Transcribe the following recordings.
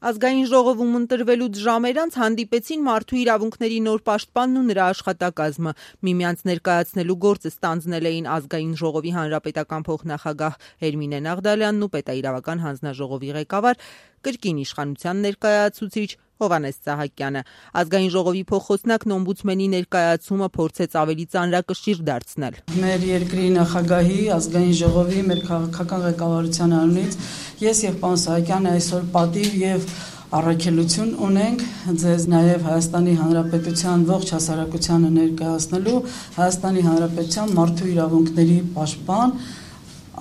Ազգային ժողովում ընտրվելուց ժամեր անց հանդիպեցին մարդու իրավունքների նոր պաշտպանն ու նրա աշխատակազմը։ Միմյանց ներկայացնելու գործը ստանձնել էին Ազգային ժողովի հանրապետական փոխնախագահ Էրմինե Նաղդալյանն ու պետաիրավական հանձնաժողովի ղեկավար, կրկին իշխանության ներկայացուցիչ Հովհաննես Սահակյանը։ Ազգային ժողովի փոխխոսնակն օմբուդսմենի ներկայացումը փորձեց ավելի ծանրակշիռ դարձնել։ Մեր երկրի նախագահի, Ազգային ժողովի, մեր քաղաքական ղեկավարության անունից ես եւ պարոն Սահակյանը այսօր պատիվ եւ առաքելություն ունենք ձեզ նաև Հայաստանի Հանրապետության ողջ հասարակությանը ներկայացնելու Հայաստանի Հանրապետության մարդու իրավունքների պաշտպան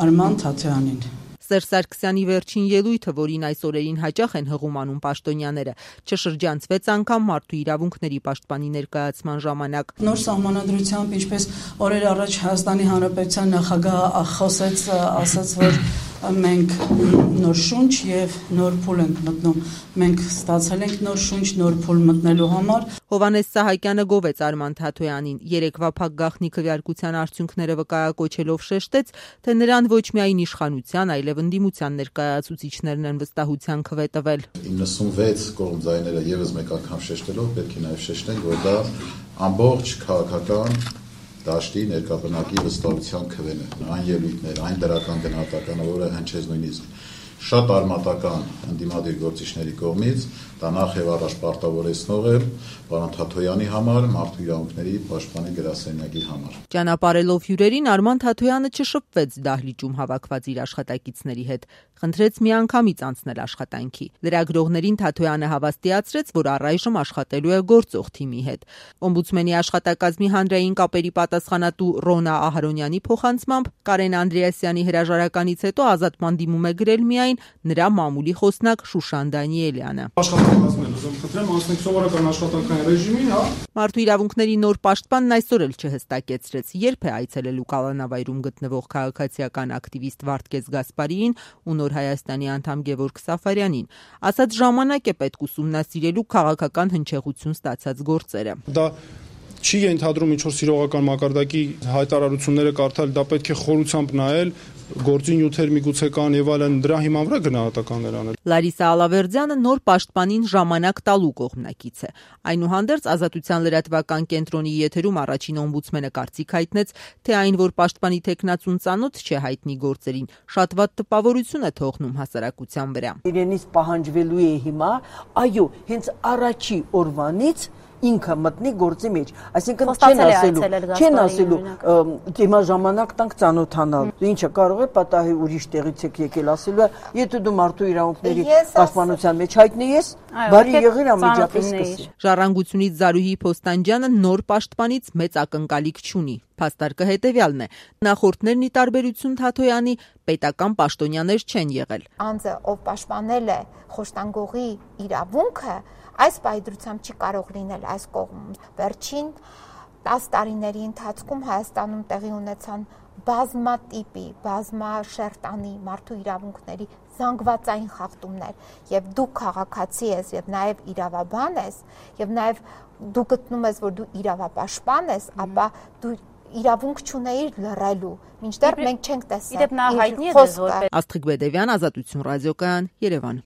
Արման Թաթեյանին։ Սերժ Սարգսյանի վերջին ելույթը, որին այս օրերին հաճախ են հղում անում պաշտոնյաները, չշրջանցվեց անգամ մարդու իրավունքների պաշտպանի ներկայացման ժամանակ։ Նոր սահմանադրությամբ, ինչպես օրեր առաջ Հայաստանի Հանրապետության նախագահը խոսեց, ասաց, որ մենք նոր շունչ եւ նոր փուլ ենք մտնում։ Մենք ստացել ենք նոր շունչ, նոր փուլ մտնելու համար։ Հովհաննես Սահակյանը գովեց Արման Թաթոյանին, երեկվա փակ գաղտնի քվեարկության արդյունքները վկայակոչելով շեշտեց, թե նրան ոչ միայն իշխանության, այլև ընդդիմության ներկայացուցիչներն են վստահության քվե տվել։ 96 կողմ ձայները եւս մեկ անգամ շեշտելով պետք է նաեւ շեշտենք, որ դա ամբողջ քաղաքական դաշտի ներկայացնակի վստահության քվեն է, այն ելույթներ, այն դրական գնահատականը, որը հնչեց նույնիսկ շատ արմատական ընդդիմադիր գործիչների կողմից, դա նախ եւ առաջ պարտավորեցնող է պարոն Թաթոյանի համար, մարդու իրավունքների պաշտպանի գրասենյակի համար։ Ճանապարհելով հյուրերին Արման Թաթոյանը չշփվեց դահլիճում հավաքված իր աշխատակիցների հետ, խնդրեց միանգամից անցնել աշխատանքի։ Լրագրողներին Թաթոյանը հավաստիացրեց, որ առայժմ աշխատելու է գործող թիմի հետ։ Օմբուդսմենի աշխատակազմի հանրային կապերի պատասխանատու Ռոնա Ահարոնյանի փոխանցմամբ Կարեն Անդրեասյանի հրաժարականից հետո ազատման դիմում է գրել միայն նրա մամուլի խոսնակ Շուշան Դանիելյանը։ Մարդու իրավունքների նոր պաշտպանն այսօր էլ չհստակեցրեց, երբ է այցելելու Կալանավայրում գտնվող քաղաքացիական ակտիվիստ Վարդգես Գասպարիին ու Նոր Հայաստանի անդամ Գևորգ Սաֆարյանին, ասաց ժամանակ է պետք ուսումնասիրելու քաղաքական հնչեղություն ստացած գործերը։ Դա չի ենթադրում ինչ-որ սիրողական մակարդակի հայտարարությունները կարդալ, դա պետք է խորությամբ նայել, գործի նյութեր միգուցե կան եւ այլն, դրա հիման վրա գնահատականներ անել։ Լարիսա Ալավերդյանը նոր պաշտպանին ժամանակ տալու կողմնակից է։ Այնուհանդերձ Ազատության լրատվական կենտրոնի եթերում առաջին օմբուդսմենը կարծիք հայտնեց, թե այն, որ պաշտպանի տեխնացուն ծանոթ չէ հայտնի գործերին, շատ վատ տպավորություն է թողնում հասարակության վրա։ Իրենից պահանջվելու է հիմա, այո, հենց առաջի օրվանից ինքը մտնի գործի մեջ, այսինքն չեն ասելու հիմա ժամանակ տանք ծանոթանալ, ինչը կարող է պատահի ուրիշ տեղից եկել ասելու է, եթե դու մարդու իրավունքների պաշտպանության մեջ հայտնի ես, բարի եղիր անմիջապես սկսի։ Ժառանգությունից Զարուհի Փոստանջյանը նոր պաշտպանից մեծ ակնկալիք չունի։ Փաստարկը հետևյալն է. նախորդներն ի տարբերություն Թաթոյանի պետական պաշտոնյաներ չեն եղել։ Անձը, ով պաշտպանել է խոշտանգողի իրավունքը, այս պայծրությամբ չի կարող լինել այս կողմում։ Վերջին 10 տարիների ընթացքում Հայաստանում տեղի ունեցան բազմատիպի, բազմաշերտանի մարդու իրավունքների զանգվածային խախտումներ, եւ դու քաղաքացի ես եւ նաեւ իրավաբան ես, եւ նաեւ դու գտնում ես, որ դու իրավապաշտպան ես, ապա դու իրավունք չունեիր լռելու, մինչդեռ մենք չենք տեսել։ Աստղիկ Բեդևյան, Ազատություն ռադիոկայան, Երևան։